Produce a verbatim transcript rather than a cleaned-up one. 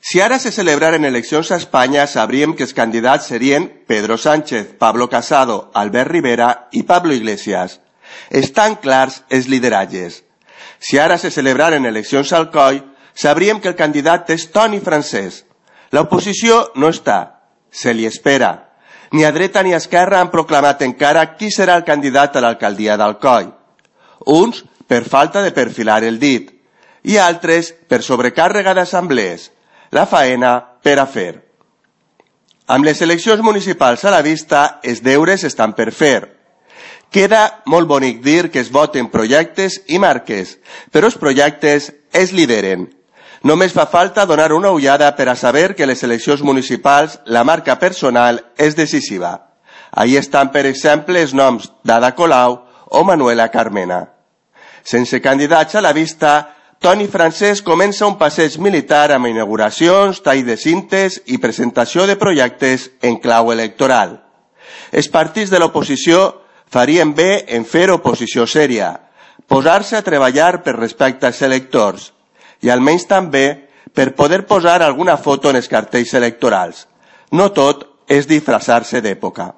Si ara se celebraren eleccions a Espanya, sabríem que els candidats serien Pedro Sánchez, Pablo Casado, Albert Rivera i Pablo Iglesias. Estan clars els lideratges. Si ara se celebraren eleccions al Coi, sabríem que el candidat és Toni Francès. L'oposició no està, se li espera. Ni a dreta ni a esquerra han proclamat encara qui serà el candidat a l'alcaldia d'Alcoi. Uns per falta de perfilar el dit i altres per sobrecàrrega d'assemblees. La faena per a fer. Amb les eleccions municipals a la vista, els deures estan per fer. Queda molt bonic dir que es voten projectes i marques, però els projectes es lideren. Només fa falta donar una ullada per a saber que les eleccions municipals la marca personal és decisiva. Ahí estan, per exemple, els noms d'Ada Colau o Manuela Carmena. Sense candidats a la vista, Toni Francès comença un passeig militar amb inauguracions, tall de cintes i presentació de projectes en clau electoral. Els partits de l'oposició farien bé en fer oposició sèria, posar-se a treballar per respecte als electors i almenys també per poder posar alguna foto en els cartells electorals. No tot és disfressar-se d'època.